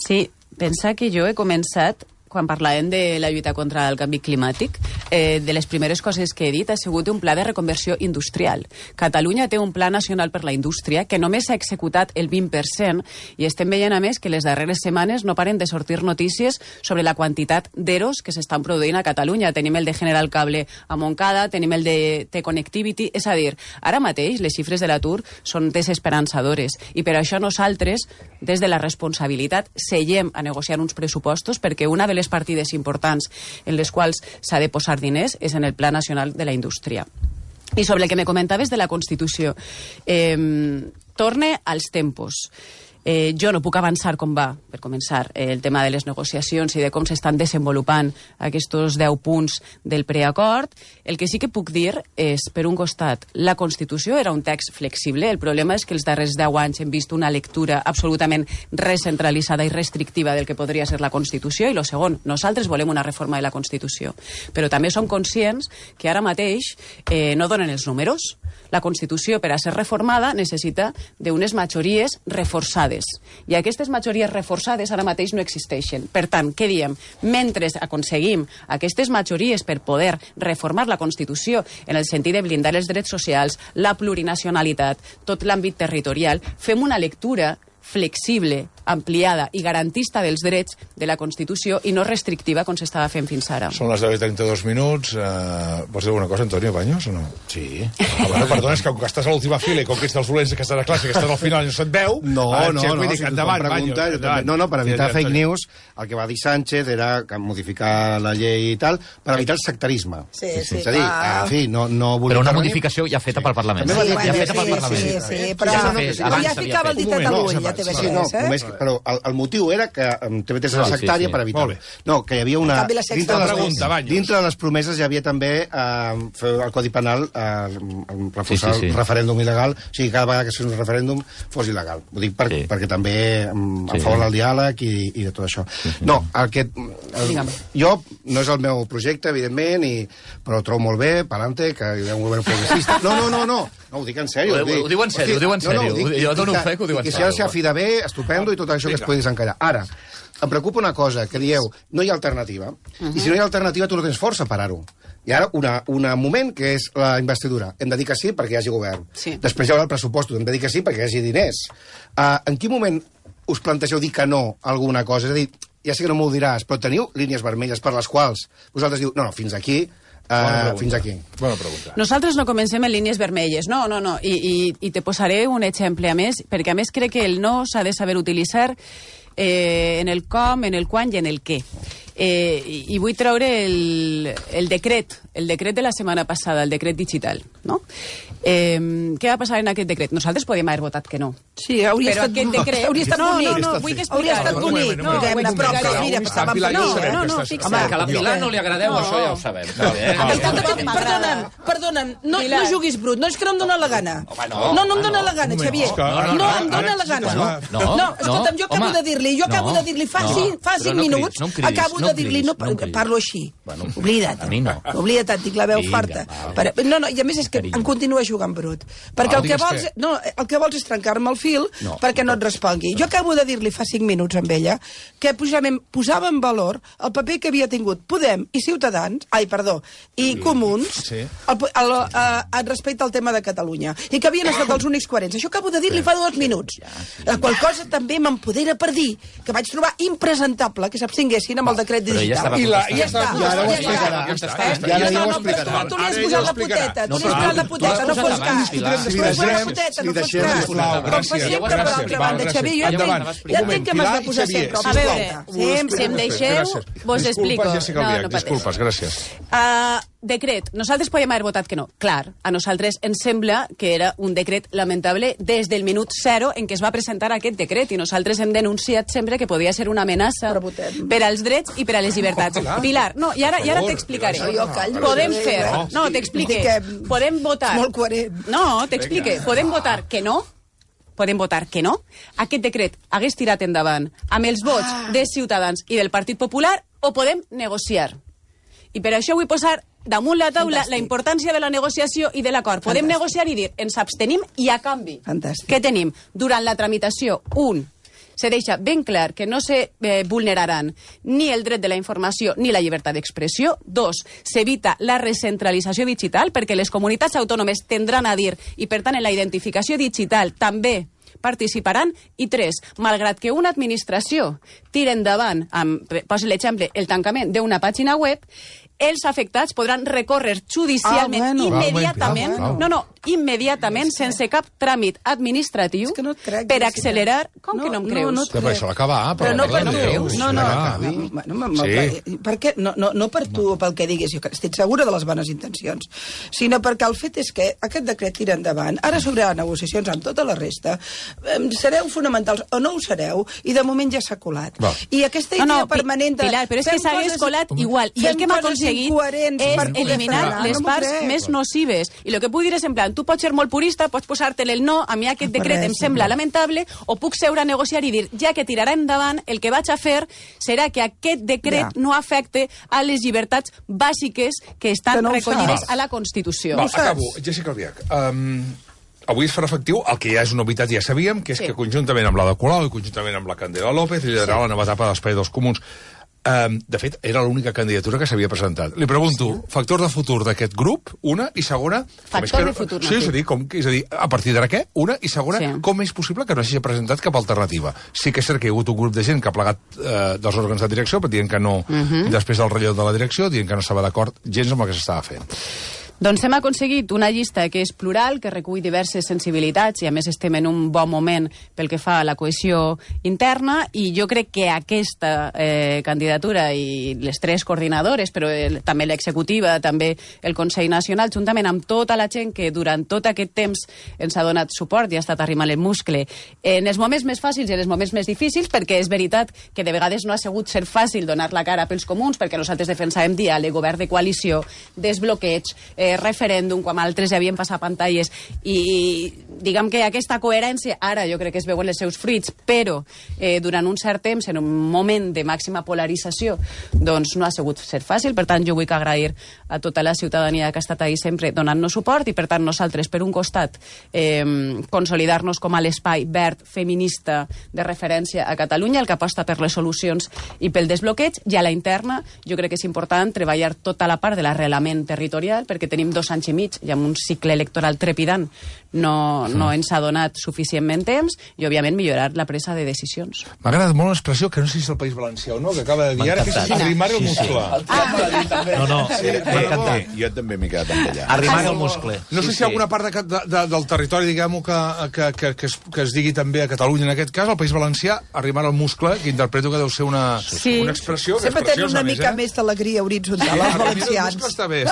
[SPEAKER 2] Sí, pensa que jo he començat, quan parlàvem de la lluita contra el canvi climàtic, de les primeres coses que he dit ha sigut un pla de reconversió industrial. Catalunya té un pla nacional per la indústria que només s'ha executat el 20% i estem veient, a més, que les darreres setmanes no paren de sortir notícies sobre la quantitat d'eros que s'estan produint a Catalunya. Tenim el de General Cable a Montcada, tenim el de T-Connectivity, és a dir, ara mateix les xifres de l'atur són desesperançadores i per això nosaltres, des de la responsabilitat, seguem a negociar uns pressupostos, perquè una de les partides importants en les quals s'ha de posar diners és en el Pla Nacional de la Indústria. I sobre el que me comentaves de la Constitució, torne als tempos. Jo no puc avançar com va, per començar, el tema de les negociacions i de com s'estan desenvolupant aquests 10 punts del preacord. El que sí que puc dir és, per un costat, la Constitució era un text flexible. El problema és que els darrers 10 anys hem vist una lectura absolutament recentralitzada i restrictiva del que podria ser la Constitució. I el segon, nosaltres volem una reforma de la Constitució. Però també som conscients que ara mateix no donen els números. La Constitució, per a ser reformada, necessita d'unes majories reforçades. I aquestes majories reforçades ara mateix no existeixen. Per tant, què diem? Mentre aconseguim aquestes majories per poder reformar la Constitució en el sentit de blindar els drets socials, la plurinacionalitat, tot l'àmbit territorial, fem una lectura flexible, ampliada i garantista dels drets de la Constitució i no restrictiva com s'estava fent fins ara.
[SPEAKER 1] Són les 10:32. Vols dir alguna cosa, Antonio Baños, o no? Sí. Bueno, perdona, és que com que estàs a l'última fila i com que ets dels dolents que estàs a classe, que estàs al final i no se't veu...
[SPEAKER 9] No, per evitar fake news, el que va dir Sánchez era modificar la llei i tal, per evitar el sectarisme.
[SPEAKER 3] Sí.
[SPEAKER 9] És a dir, en fi, no vull...
[SPEAKER 7] Però una modificació ja feta pel Parlament. Ja feta pel Parlament.
[SPEAKER 3] Sí, però ja ficava el ditet a l'ull, ja TV3,
[SPEAKER 9] però el motiu era que TV3 era sectària per evitar-ho. No, que hi havia una... Dintre de les promeses hi havia també fer el Codi Penal, reforçar el referèndum il·legal, o sigui, cada vegada que es fes un referèndum fos il·legal. Ho dic perquè també a favor del diàleg i de tot això. No, jo no és el meu projecte, evidentment, però ho trobo molt bé, pa'lante, que hi ha un govern progressista. No, ho dic en sèrio.
[SPEAKER 7] Ho diu en sèrio. Jo dono fe que ho diu en sèrio.
[SPEAKER 9] I si ha de ser a fi de bé, estupendo, i tot això que es pugui desencallar. Ara, em preocupa una cosa, que dieu, no hi ha alternativa. I si no hi ha alternativa, tu no tens força a parar-ho. I ara, un moment que és la investidura. Hem de dir que sí perquè hi hagi govern. Després hi haurà el pressupost, hem de dir que sí perquè hi hagi diners. En quin moment us plantegeu dir que no a alguna cosa? És a dir, ja sé que no m'ho diràs, però teniu línies vermelles per les quals vosaltres diu, no, fins aquí... fins aquí.
[SPEAKER 1] Bona pregunta.
[SPEAKER 2] Nosaltres no comencem en línies vermelles, no. I te posaré un exemple a més, perquè a més crec que el no s'ha de saber utilitzar en el com, en el quan i en el què. I vull treure el decret de la setmana passada, el decret digital, no? Què va passar en aquest decret? Nosaltres podíem haver votat que no.
[SPEAKER 3] Sí, hauria estat bonic.
[SPEAKER 2] No, vull que explicar.
[SPEAKER 3] Hauria estat bonic.
[SPEAKER 2] No,
[SPEAKER 7] fixa. Que a la Pilar no li agradeu, això ja ho sabem.
[SPEAKER 3] Perdona'm, no juguis brut, no és que no em dóna la gana. No em dóna la gana, Xavier. No em dóna la gana. No, escolta'm, jo acabo de dir-li fa 5 minuts, acabo de dir-li, no parlo així. Oblida't. Oblida't, et dic la veu farta. No, i a més és que em continua jugant brut. Perquè el que vols és trencar-me el fil perquè no et respongui. Jo acabo de dir-li fa 5 minuts amb ella que posava en valor el paper que havia tingut Podem i Ciutadans, i Comuns respecte al tema de Catalunya. I que havien estat els únics coherents. Això acabo de dir-li fa 2 minuts. La qual cosa també m'empodera per dir que vaig trobar impresentable que s'abstinguessin amb el decret digital.
[SPEAKER 9] I ara ho explicarà.
[SPEAKER 3] Tu li has posat la poteta, no fos cas. No fos cas. Com fa sempre, per l'altra banda, Xavier, ja entenc que m'has de posar sempre.
[SPEAKER 2] A veure, si em deixeu, vos explico.
[SPEAKER 1] Disculpes, gràcies.
[SPEAKER 2] Decret. Nosaltres podíem haver votat que no. Clar, a nosaltres ens sembla que era un decret lamentable des del minut 0 en què es va presentar aquest decret i nosaltres hem denunciat sempre que podia ser una amenaça per als drets i per a les llibertats. Pilar, no, i ara t'explicaré. Podem fer... No, t'explique. Podem votar...
[SPEAKER 3] Molt coherent.
[SPEAKER 2] No, t'explique. Podem votar que no. Podem votar que no. Aquest decret hagués tirat endavant amb els vots de Ciutadans i del Partit Popular o podem negociar. I per això vull posar damunt la taula la importància de la negociació i de l'acord. Podem negociar i dir, ens abstenim i a canvi. Què tenim? Durant la tramitació, se deixa ben clar que no se vulneraran ni el dret de la informació ni la llibertat d'expressió. 2, s'evita la recentralització digital perquè les comunitats autònomes tindran a dir i, per tant, en la identificació digital també participaran. I 3, malgrat que una administració tira endavant, posa l'exemple, el tancament d'una pàgina web, els afectats podran recórrer judicialment immediatament. No, immediatament, sense cap tràmit administratiu, per accelerar... Com que no em creus?
[SPEAKER 1] Però això l'acabar,
[SPEAKER 3] però no per tu. Per què? No per tu, pel que diguis, jo estic segura de les bones intencions, sinó perquè el fet és que aquest decret tira endavant, ara s'obriran negociacions amb tota la resta, sereu fonamentals o no ho sereu, i de moment ja s'ha colat. I aquesta idea permanent de...
[SPEAKER 2] Pilar, però és que s'hagués colat igual, i el que hem aconseguit és eliminar les parts més nocives. I el que puc dir és, en plan, tu pots ser molt purista, pots posar-te-li el no, a mi aquest decret em sembla lamentable, o puc seure a negociar i dir, ja que tirarà endavant, el que vaig a fer serà que aquest decret no afecte a les llibertats bàsiques que estan recollides a la Constitució.
[SPEAKER 1] Acabo. Jessica Albiach, avui es farà efectiu el que ja és una novetat, ja sabíem, que és que conjuntament amb l'Ada Colau i conjuntament amb la Candela López liderarà la nova etapa de l'Espai dels Comuns. De fet, era l'única candidatura que s'havia presentat. Li pregunto, factor de futur d'aquest grup, una, i segona...
[SPEAKER 2] Factor de futur.
[SPEAKER 1] Sí, és a dir, a partir d'ara què? Una, i segona, com és possible que no s'hagi presentat cap alternativa? Sí que és cert que hi ha hagut un grup de gent que ha plegat dels òrgans de direcció, però dient que no, després del relleu de la direcció, dient que no estava d'acord gens amb el que s'estava fent.
[SPEAKER 2] Doncs hem aconseguit una llista que és plural, que recull diverses sensibilitats, i a més estem en un bon moment pel que fa a la cohesió interna, i jo crec que aquesta candidatura i les tres coordinadores, però també l'executiva, també el Consell Nacional, juntament amb tota la gent que durant tot aquest temps ens ha donat suport i ha estat arrimant el muscle en els moments més fàcils i en els moments més difícils, perquè és veritat que de vegades no ha sigut ser fàcil donar la cara pels comuns, perquè nosaltres defensàvem diàleg, govern de coalició, desbloqueig, referèndum, quan altres ja havien passat pantalles, i diguem que aquesta coherència ara jo crec que es veuen els seus fruits, però durant un cert temps, en un moment de màxima polarització, doncs no ha sigut ser fàcil. Per tant, jo vull agrair a tota la ciutadania que ha estat ahí sempre donant-nos suport, i per tant nosaltres, per un costat, consolidar-nos com a l'espai verd feminista de referència a Catalunya, el que aposta per les solucions i pel desbloqueig, i a la interna jo crec que és important treballar tota la part de l'arrelament territorial, perquè tenim 2 anys i mig i amb un cicle electoral trepidant no ens ha donat suficientment temps, i òbviament millorar la presa de decisions.
[SPEAKER 1] M'ha agradat molt l'expressió, que no sé si és el País Valencià o no, que acaba de dir ara, que és arrimar el muscle.
[SPEAKER 4] M'ha encantat.
[SPEAKER 5] Jo també m'he quedat amb ella.
[SPEAKER 4] Arrimar el muscle.
[SPEAKER 1] No sé si hi ha alguna part del territori, diguem-ho, que es digui també a Catalunya, en aquest cas, el País Valencià, arrimar el muscle, que interpreto que deu ser una expressió.
[SPEAKER 3] Sempre tenen una mica més d'alegria horitzontal, els valencians.
[SPEAKER 1] Està bé.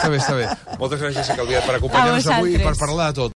[SPEAKER 1] Moltes gràcies, Jessica Albiach, per acompanyar-nos avui i per parlar de tot.